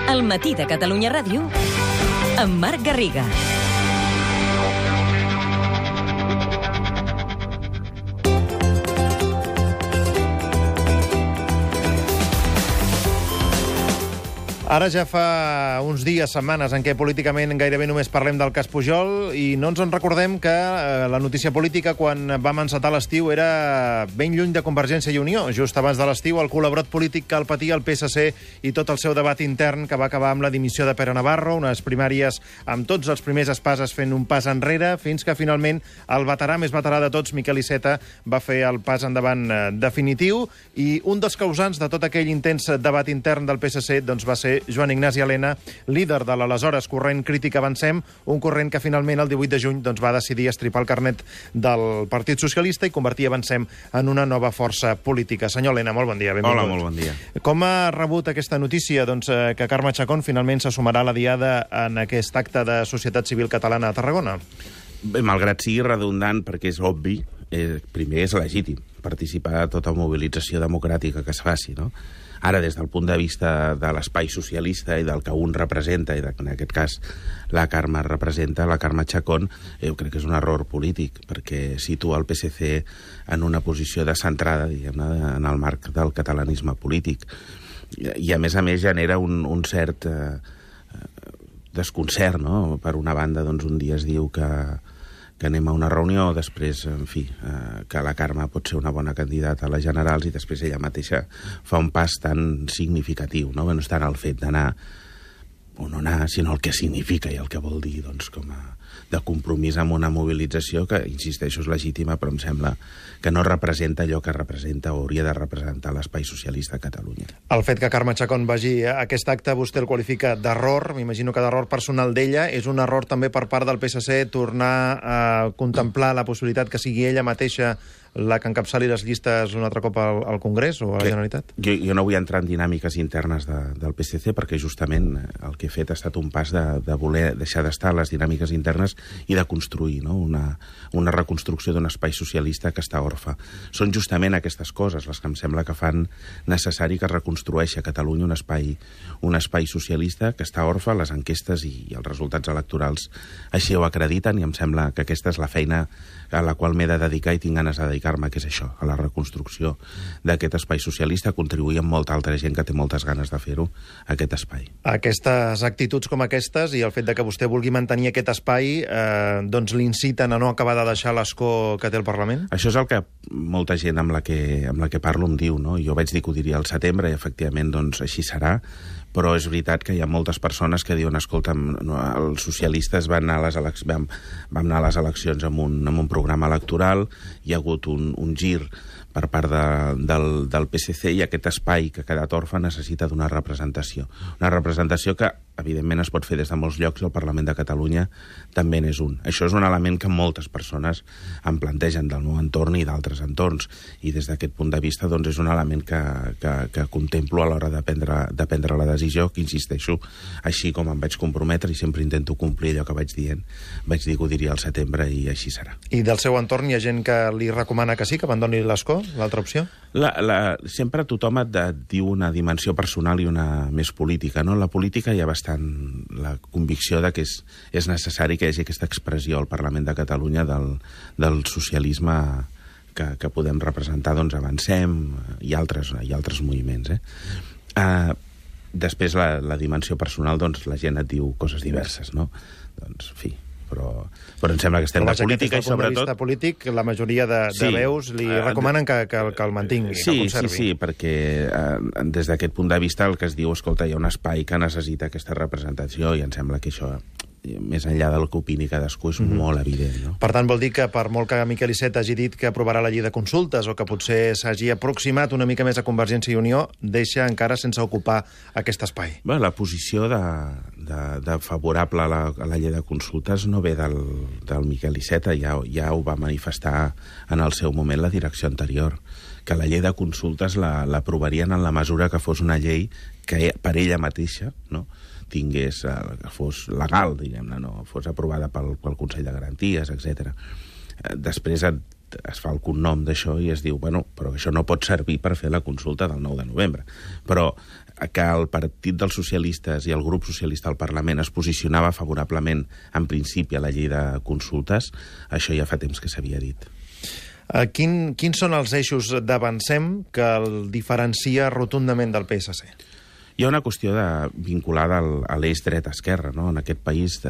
El matí de Catalunya Ràdio amb Marc Garriga. Ara ja fa uns dies, setmanes, en què políticament gairebé només parlem del cas Pujol i no ens en recordem que la notícia política, quan vam encetar l'estiu, era ben lluny de Convergència i Unió. Just abans de l'estiu, el col·laborat polític que el patia el PSC i tot el seu debat intern, que va acabar amb la dimissió de Pere Navarro, unes primàries amb tots els primers espases fent un pas enrere, fins que finalment el veterà més veterà de tots, Miquel Iceta, va fer el pas endavant definitiu, i un dels causants de tot aquell intens debat intern del PSC doncs va ser Joan Ignasi Elena, líder de l'aleshores corrent Crític Avancem, un corrent que finalment el 18 de juny doncs, va decidir estripar el carnet del Partit Socialista i convertir Avancem en una nova força política. Senyor Elena, molt bon dia. Benvingut. Hola, molt bon dia. Com ha rebut aquesta notícia doncs, que Carme Chacón finalment se sumarà a la diada en aquest acte de Societat Civil Catalana a Tarragona? Bé, malgrat sigui redundant, perquè és obvi, primer és legítim participar a tota mobilització democràtica que es faci, no? Ara, des del punt de vista de l'espai socialista i del que un representa, i en aquest cas la Carme representa, la Carme Chacón, jo crec que és un error polític, perquè situa el PSC en una posició descentrada, diguem-ne, en el marc del catalanisme polític. I a més, genera un cert desconcert, no? Per una banda, doncs, un dia es diu que anem a una reunió, després, en fi, que la Carme pot ser una bona candidata a les generals i després ella mateixa fa un pas tan significatiu, no? No és tant el fet d'anar o no anar, sinó el que significa i el que vol dir, doncs, com a de compromís amb una mobilització que, insisteixo, és legítima, però em sembla que no representa allò que representa o hauria de representar l'espai socialista a Catalunya. El fet que Carme Chacón vagi a aquest acte vostè el qualifica d'error, m'imagino que d'error personal d'ella. És un error també per part del PSC tornar a contemplar la possibilitat que sigui ella mateixa la que encapçali les llistes un altre cop al Congrés o a la Generalitat? Jo no vull entrar en dinàmiques internes del PSC perquè justament el que he fet ha estat un pas de voler deixar d'estar les dinàmiques internes i de construir, no? una reconstrucció d'un espai socialista que està orfe. Són justament aquestes coses les que em sembla que fan necessari que es reconstrueixi a Catalunya un espai socialista que està orfe. Les enquestes i els resultats electorals així ho acrediten i em sembla que aquesta és la feina a la qual m'he de dedicar i tinc ganes de dedicar-me, que és això, a la reconstrucció d'aquest espai socialista, contribuir amb molta altra gent que té moltes ganes de fer-ho, a aquest espai. Aquestes actituds com aquestes i el fet de que vostè vulgui mantenir aquest espai doncs l'inciten a no acabar de deixar l'escó que té el Parlament? Això és el que molta gent amb la que parlo em diu, no? Jo vaig dir que ho diria al setembre i efectivament doncs així serà, però és veritat que hi ha moltes persones que diuen, escolta, els socialistes vam anar a les eleccions amb un programa electoral, hi ha hagut un gir per part del PSC i aquest espai que ha quedat orfe necessita d'una representació. Una representació que, evidentment, es pot fer des de molts llocs i el Parlament de Catalunya també n'és un. Això és un element que moltes persones em plantegen del meu entorn i d'altres entorns i des d'aquest punt de vista doncs, és un element que contemplo a l'hora de prendre la decisió, que insisteixo, així com em vaig comprometre i sempre intento complir allò que vaig dient, vaig dir que ho diria al setembre i així serà. I del seu entorn hi ha gent que li recomana que sí, que abandoni l'escó, l'altra opció? Sempre tothom et diu una dimensió personal i una més política, no? En la política hi ha bastant la convicció de que és necessari que hi hagi aquesta expressió al Parlament de Catalunya del socialisme que podem representar, doncs Avancem i altres moviments, Després, la dimensió personal, doncs, la gent et diu coses diverses, no? Doncs, en fi, però em sembla que estem de política i sobretot... Però polític, la majoria de veus li recomanen que el mantingui, que el conservi. Sí, perquè des d'aquest punt de vista el que es diu, escolta, hi ha un espai que necessita aquesta representació i em sembla que això, més enllà del que opini cadascú, és molt evident, no? Per tant, vol dir que per molt que Miquel Iceta hagi dit que aprovarà la llei de consultes o que potser s'hagi aproximat una mica més a Convergència i Unió, deixa encara sense ocupar aquest espai. Bé, la posició de favorable a la llei de consultes no ve del Miquel Iceta, ja ho va manifestar en el seu moment la direcció anterior, que la llei de consultes l'aprovarien en la mesura que fos una llei que per ella mateixa, no?, tingués, que fos legal, diguem-ne, no fos aprovada pel Consell de Garanties, etc. Després es fa el cognom d'això i es diu, bueno, però això no pot servir per fer la consulta del 9 de novembre. Però que el Partit dels Socialistes i el grup socialista al Parlament es posicionava favorablement, en principi, a la llei de consultes, això ja fa temps que s'havia dit. Quins són els eixos d'Avancem que el diferencia rotundament del PSC? Hi ha una qüestió vinculada a l'eix dret-esquerra, no? En aquest país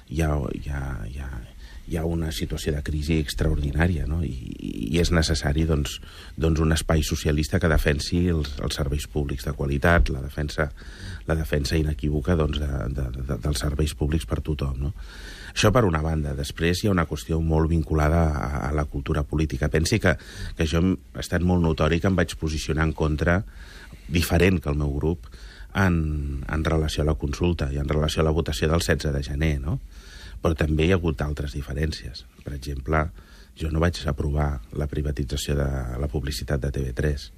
hi ha una situació de crisi extraordinària, no? I és necessari doncs, un espai socialista que defensi els serveis públics de qualitat, la defensa inequívoca dels serveis públics per tothom, no? Això per una banda. Després hi ha una qüestió molt vinculada a la cultura política. Pensi que jo ha estat molt notori que em vaig posicionar en contra, diferent que el meu grup, en relació a la consulta i en relació a la votació del 16 de gener, no? Però també hi ha hagut altres diferències. Per exemple, jo no vaig aprovar la privatització de la publicitat de TV3,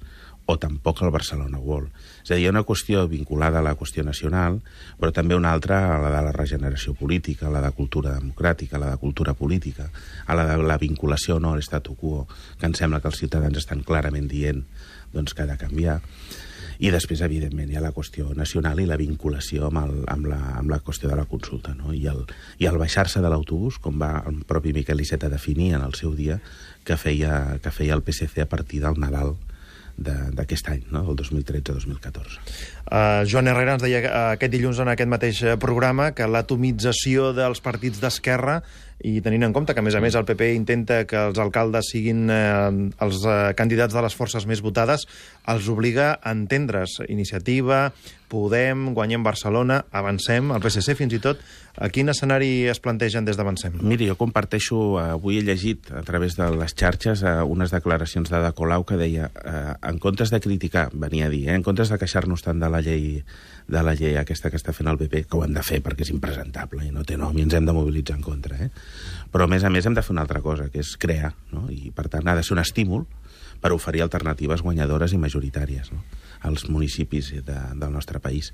o tampoc el Barcelona World. És a dir, hi ha una qüestió vinculada a la qüestió nacional, però també una altra a la de la regeneració política, a la de cultura democràtica, a la de cultura política, a la de la vinculació o no a l'estatu quo, que em sembla que els ciutadans estan clarament dient doncs, que ha de canviar. I després, evidentment, hi ha la qüestió nacional i la vinculació amb la qüestió de la consulta, no? I el baixar-se de l'autobús, com va el propi Miquel Iceta definir en el seu dia, que feia el PSC a partir del Nadal d'aquest any, no? El 2013-2014. Joan Herrera ens deia aquest dilluns en aquest mateix programa que l'atomització dels partits d'esquerra, i tenint en compte que, a més, el PP intenta que els alcaldes siguin els candidats de les forces més votades, els obliga a entendre's. Iniciativa, Podem, Guanyem Barcelona, Avancem, el PSC fins i tot. A quin escenari es plantegen des d'Avancem? Miri, jo comparteixo, avui he llegit a través de les xarxes unes declaracions d'Ada Colau que deia, en comptes de criticar, venia a dir, en comptes de queixar-nos tant de la llei aquesta que està fent el PP, que ho hem de fer perquè és impresentable i no té nom i ens hem de mobilitzar en contra, però a més hem de fer una altra cosa, que és crear, no? I per tant ha de ser un estímul per oferir alternatives guanyadores i majoritàries, no? Als municipis del nostre país.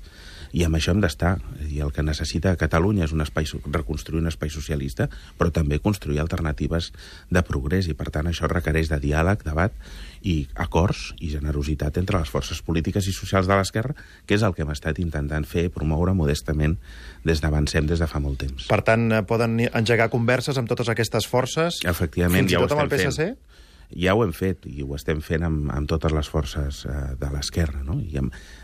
I amb això hem d'estar. I el que necessita Catalunya és reconstruir un espai socialista, però també construir alternatives de progrés, i per tant això requereix de diàleg, debat i acords i generositat entre les forces polítiques i socials de l'esquerra, que és el que hem estat intentant fer, promoure modestament des d'Avancem des de fa molt temps. Per tant, poden engegar converses amb totes aquestes forces? Efectivament, fins i tot amb el PSC? Ja ho hem fet, i ho estem fent amb totes les forces de l'esquerra, no?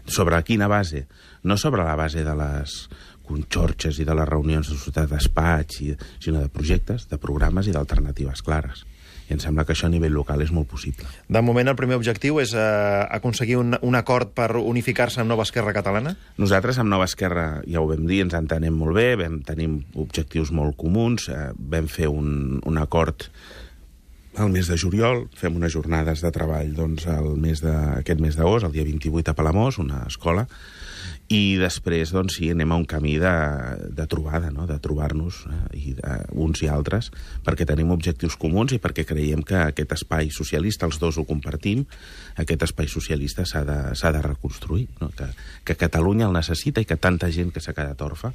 Sobre quina base? No sobre la base de les conxorxes i de les reunions de societat despatx, sinó de projectes, de programes i d'alternatives clares. I em sembla que això a nivell local és molt possible. De moment, el primer objectiu és aconseguir un acord per unificar-se amb Nova Esquerra Catalana? Nosaltres amb Nova Esquerra, ja ho vam dir, ens entenem molt bé, tenim objectius molt comuns, vam fer un acord al mes de juliol, fem unes jornades de treball aquest mes d'agost, el dia 28 a Palamós, una escola, i després sí, anem a un camí de trobada, no? De trobar-nos uns i altres, perquè tenim objectius comuns i perquè creiem que aquest espai socialista, els dos ho compartim, aquest espai socialista s'ha de reconstruir, no? Que Catalunya el necessita i que tanta gent que s'ha quedat orfa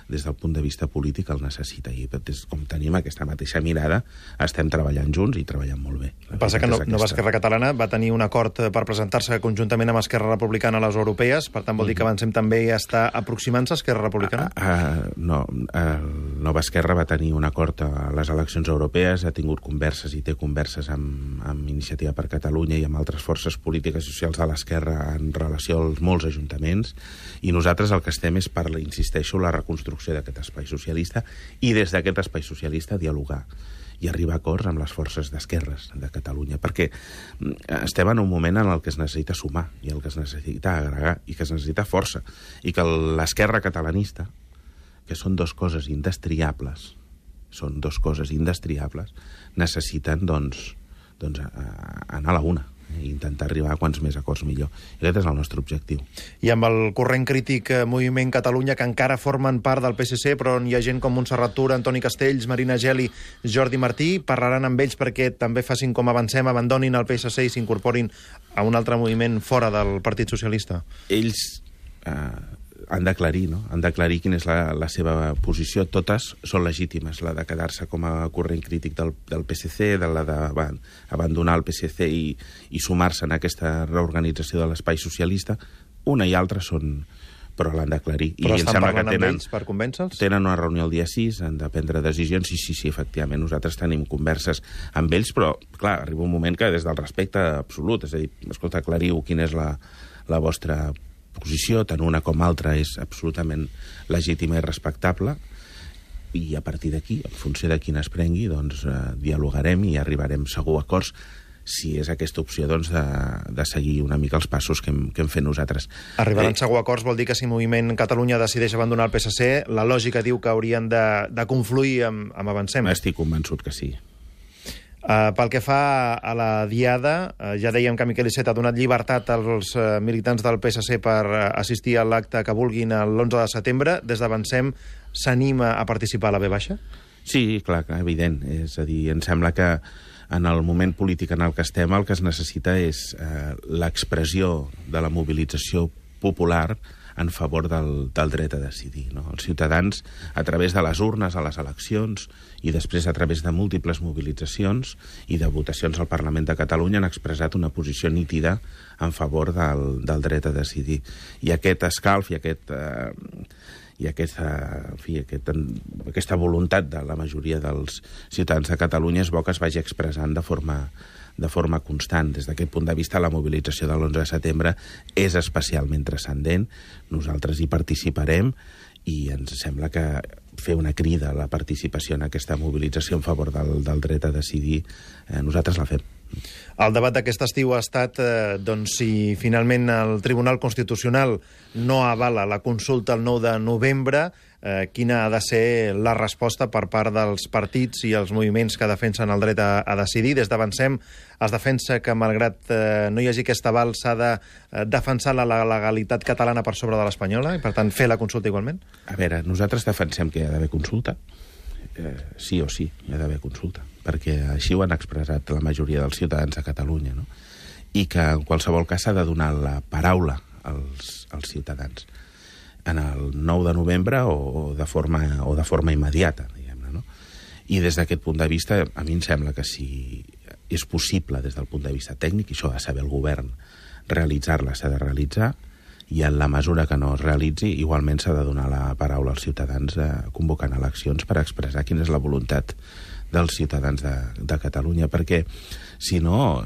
des del punt de vista polític el necessita, i com tenim aquesta mateixa mirada estem treballant junts i treballant molt bé. Passa que Nova Esquerra Catalana va tenir un acord per presentar-se conjuntament amb Esquerra Republicana a les europees, per tant vol dir que Avancem també està aproximant-se a Esquerra Republicana? No, Nova Esquerra va tenir un acord a les eleccions europees, ha tingut converses i té converses amb Iniciativa per Catalunya i amb altres forces polítiques i socials de l'esquerra en relació als molts ajuntaments, i nosaltres el que estem és, insisteixo, la reconstrucció d'aquest espai socialista, i des d'aquest espai socialista dialogar i arribar a acords amb les forces d'esquerres de Catalunya, perquè estem en un moment en el que es necessita sumar i el que es necessita agregar i que es necessita força, i que l'esquerra catalanista, que són dues coses indestriables, necessiten anar a la una i intentar arribar a quants més acords millor. I aquest és el nostre objectiu. I amb el corrent crític Moviment Catalunya, que encara formen part del PSC, però on hi ha gent com Montserrat Tura, Antoni Castells, Marina Geli, Jordi Martí, parlaran amb ells perquè també facin com Avancem, abandonin el PSC i s'incorporin a un altre moviment fora del Partit Socialista? Ells han d'aclarir, no? Han d'aclarir quina és la seva posició. Totes són legítimes, la de quedar-se com a corrent crític del PSC, la d'abandonar el PSC i sumar-se en aquesta reorganització de l'espai socialista. Una i altra són... però l'han d'aclarir. Però estan parlant amb ells per convèncer-los? Tenen una reunió el dia 6, han de prendre decisions, sí, efectivament, nosaltres tenim converses amb ells, però, clar, arriba un moment que des del respecte absolut, és a dir, escolta, aclariu quina és la vostra posició, tant una com altra és absolutament legítima i respectable, i a partir d'aquí, en funció de quina es prengui, doncs dialogarem i arribarem segur a acords, si és aquesta opció doncs, de seguir una mica els passos que hem fet nosaltres. Arribaran segur a acords vol dir que si Moviment Catalunya decideix abandonar el PSC, la lògica diu que haurien de confluir amb Avancem. Estic convençut que sí. Pel que fa a la Diada, ja dèiem que Miquel Iceta ha donat llibertat als militants del PSC per assistir a l'acte que vulguin l'11 de setembre. Des d'Avancem s'anima a participar a la V-baixa? Sí, clar, evident. És a dir, em sembla que en el moment polític en el que estem el que es necessita és l'expressió de la mobilització popular en favor del dret a decidir. No? Els ciutadans, a través de les urnes a les eleccions i després a través de múltiples mobilitzacions i de votacions al Parlament de Catalunya han expressat una posició nítida en favor del dret a decidir. I aquest escalf i aquesta voluntat de la majoria dels ciutadans de Catalunya és bo que es vagi expressant de forma constant. Des d'aquest punt de vista, la mobilització de l'11 de setembre és especialment transcendent. Nosaltres hi participarem i ens sembla que fer una crida a la participació en aquesta mobilització en favor del dret a decidir, nosaltres la fem. El debat d'aquest estiu ha estat doncs, si finalment el Tribunal Constitucional no avala la consulta el 9 de novembre, quina ha de ser la resposta per part dels partits i els moviments que defensen el dret a decidir. Des d'Avancem es defensa que, malgrat no hi hagi aquest aval, s'ha de defensar la legalitat catalana per sobre de l'espanyola i, per tant, fer la consulta igualment? A veure, nosaltres defensem que hi ha d'haver consulta. Sí o sí, hi ha d'haver consulta, perquè així ho han expressat la majoria dels ciutadans de Catalunya, no? I que en qualsevol cas s'ha de donar la paraula als ciutadans en el 9 de novembre o de forma immediata, diguem-ne, no? I des d'aquest punt de vista, a mi em sembla que si és possible des del punt de vista tècnic, i això ha de saber el govern, realitzar-la s'ha de realitzar, i en la mesura que no es realitzi, igualment s'ha de donar la paraula als ciutadans convocant eleccions per expressar quina és la voluntat dels ciutadans de Catalunya, perquè, si no,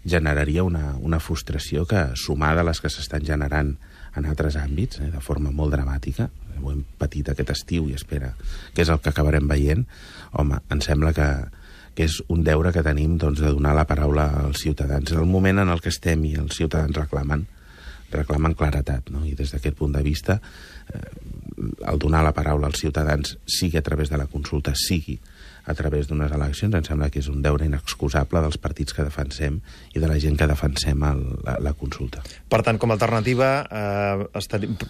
generaria una frustració que, sumada a les que s'estan generant en altres àmbits, de forma molt dramàtica, ho hem patit aquest estiu i espera que és el que acabarem veient, home, em sembla que és un deure que tenim doncs, de donar la paraula als ciutadans. En el moment en el que estem i els ciutadans reclamen claretat, no? I des d'aquest punt de vista, el donar la paraula als ciutadans, sigui a través de la consulta, sigui a través d'unes eleccions, em sembla que és un deure inexcusable dels partits que defensem i de la gent que defensem la consulta. Per tant, com a alternativa,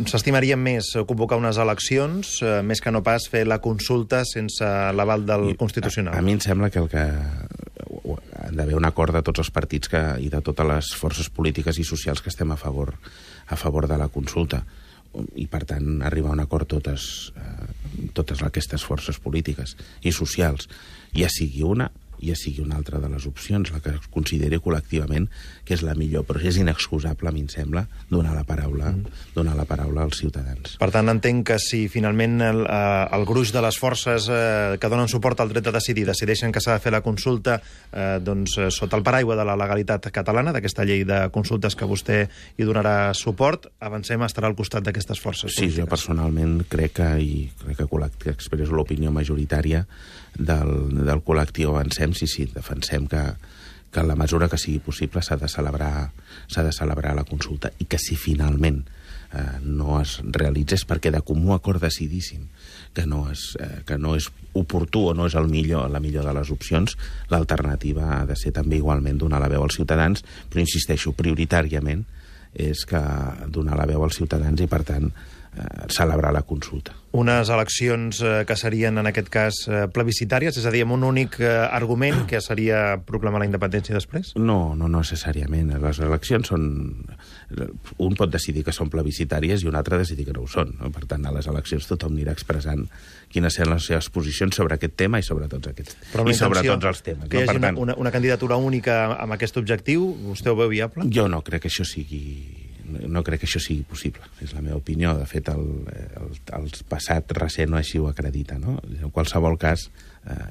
s'estimaria més convocar unes eleccions, més que no pas fer la consulta sense l'aval del Constitucional. A mi em sembla que han d'haver un acord de tots els partits i de totes les forces polítiques i socials que estem a favor de la consulta, i per tant arribar a un acord totes aquestes forces polítiques i socials, ja sigui una ja sigui una altra de les opcions, la que es consideri col·lectivament que és la millor, però és inexcusable, a mi em sembla, donar la paraula als ciutadans. Per tant, entenc que si finalment el gruix de les forces que donen suport al dret a decidir decideixen que s'ha de fer la consulta doncs, sota el paraigua de la legalitat catalana, d'aquesta llei de consultes que vostè hi donarà suport, Avancem estarà al costat d'aquestes forces polítiques. Sí, jo personalment crec que expresso l'opinió majoritària del col·lectiu Avancem, sí, defensem que en la mesura que sigui possible s'ha de celebrar la consulta, i que si finalment no es realitzés perquè de comú acord decidíssim que no és oportú o no és la millor de les opcions, l'alternativa ha de ser també igualment donar la veu als ciutadans, però insisteixo, prioritàriament és que donar la veu als ciutadans i, per tant, celebrar la consulta. Unes eleccions que serien, en aquest cas, plebiscitàries, és a dir, amb un únic argument, que seria proclamar la independència després? No necessàriament. Les eleccions són... Un pot decidir que són plebiscitàries i un altre decidir que no ho són. No? Per tant, a les eleccions tothom anirà expressant quines seran les seves posicions sobre aquest tema i sobre tots aquests. I sobre tots els temes. Que hi hagi una candidatura única amb aquest objectiu, vostè ho veu viable? Jo no crec que això sigui... no crec que això sigui possible. És la meva opinió. De fet, el passat recent així ho acredita, no? En qualsevol cas,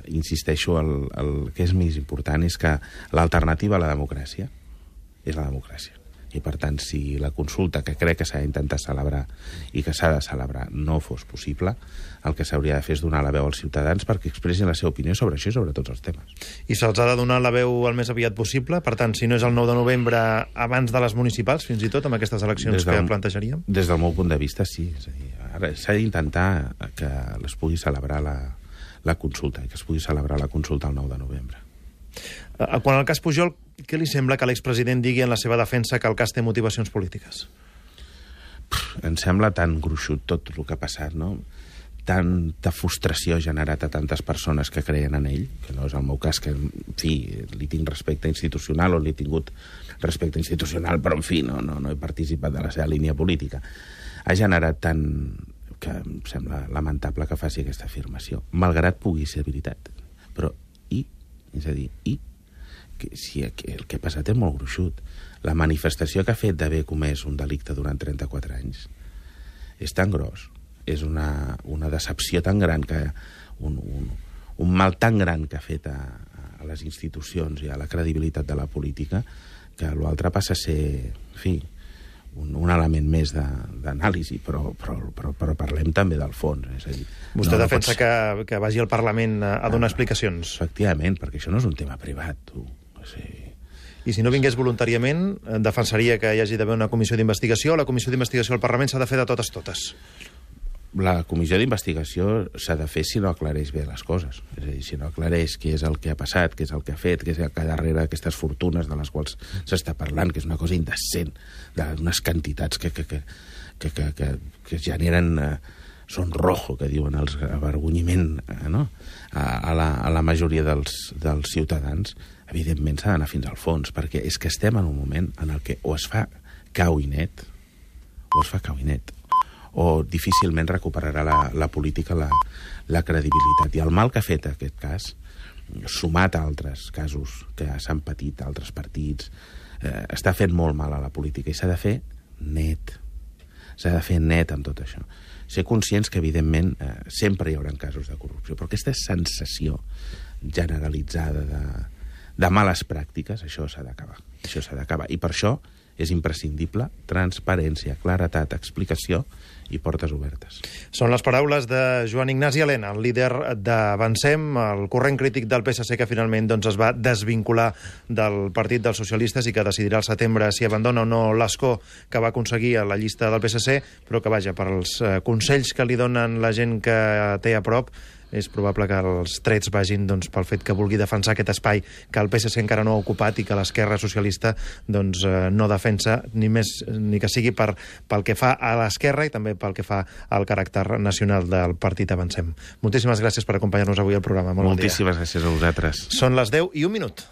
insisteixo, el que és més important és que l'alternativa a la democràcia és la democràcia. I, per tant, si la consulta, que crec que s'ha d'intentar celebrar i que s'ha de celebrar, no fos possible, el que s'hauria de fer és donar la veu als ciutadans perquè expressin la seva opinió sobre això i sobre tots els temes. I se'ls ha de donar la veu el més aviat possible? Per tant, si no és el 9 de novembre, abans de les municipals, fins i tot, amb aquestes eleccions que plantejaríem? Des del meu punt de vista, sí. És a dir, ara s'ha d'intentar que es pugui celebrar la consulta, i que es pugui celebrar la consulta el 9 de novembre. Quan al cas Pujol, què li sembla que l'expresident digui en la seva defensa que el cas té motivacions polítiques? Em sembla tan gruixut tot el que ha passat, no? Tanta frustració generat a tantes persones que creien en ell, que no és el meu cas, que, en fi, li tinc respecte institucional o li he tingut respecte institucional, però, en fi, no he participat de la seva línia política. Ha generat tant que em sembla lamentable que faci aquesta afirmació, malgrat pugui ser veritat. Però, és a dir, si el que ha passat és molt gruixut. La manifestació que ha fet d'haver comès un delicte durant 34 anys és tan gros, és una decepció tan gran, que un mal tan gran que ha fet a les institucions i a la credibilitat de la política, que l'altre passa a ser, en fi, un element més d'anàlisi, però parlem també del fons. És a dir, vostè defensa que vagi al Parlament a donar explicacions? Efectivament, perquè això no és un tema privat. I si no vingués voluntàriament, defensaria que hi hagi d'haver una comissió d'investigació, o la comissió d'investigació al Parlament s'ha de fer de totes? La comissió d'investigació s'ha de fer si no aclareix bé les coses. És a dir, si no aclareix què és el que ha passat, què és el que ha fet, què és el que darrere d'aquestes fortunes de les quals s'està parlant, que és una cosa indecent, d'unes quantitats que generen sonrojo, que diuen els avergonyiment, no? a la majoria dels ciutadans. Evidentment s'ha d'anar fins al fons, perquè és que estem en un moment en el que o es fa cau i net, o difícilment recuperarà la política la credibilitat. I el mal que ha fet aquest cas, sumat a altres casos que s'han patit a altres partits, està fent molt mal a la política, i s'ha de fer net. S'ha de fer net amb tot això. Ser conscients que, evidentment, sempre hi haurà casos de corrupció, però aquesta sensació generalitzada de males pràctiques, això s'ha d'acabar. I per això és imprescindible transparència, claretat, explicació i portes obertes. Són les paraules de Joan Ignasi Elena, el líder d'Avancem, el corrent crític del PSC, que finalment es va desvincular del Partit dels Socialistes i que decidirà al setembre si abandona o no l'escó que va aconseguir a la llista del PSC, però que, vaja, per als consells que li donen la gent que té a prop, és probable que els trets vagin pel fet que vulgui defensar aquest espai que el PSC encara no ha ocupat i que l'esquerra socialista no defensa, ni que sigui pel que fa a l'esquerra i també pel que fa al caràcter nacional del partit Avancem. Moltíssimes gràcies per acompanyar-nos avui al programa. Moltíssimes gràcies a vosaltres. Són les 10:01.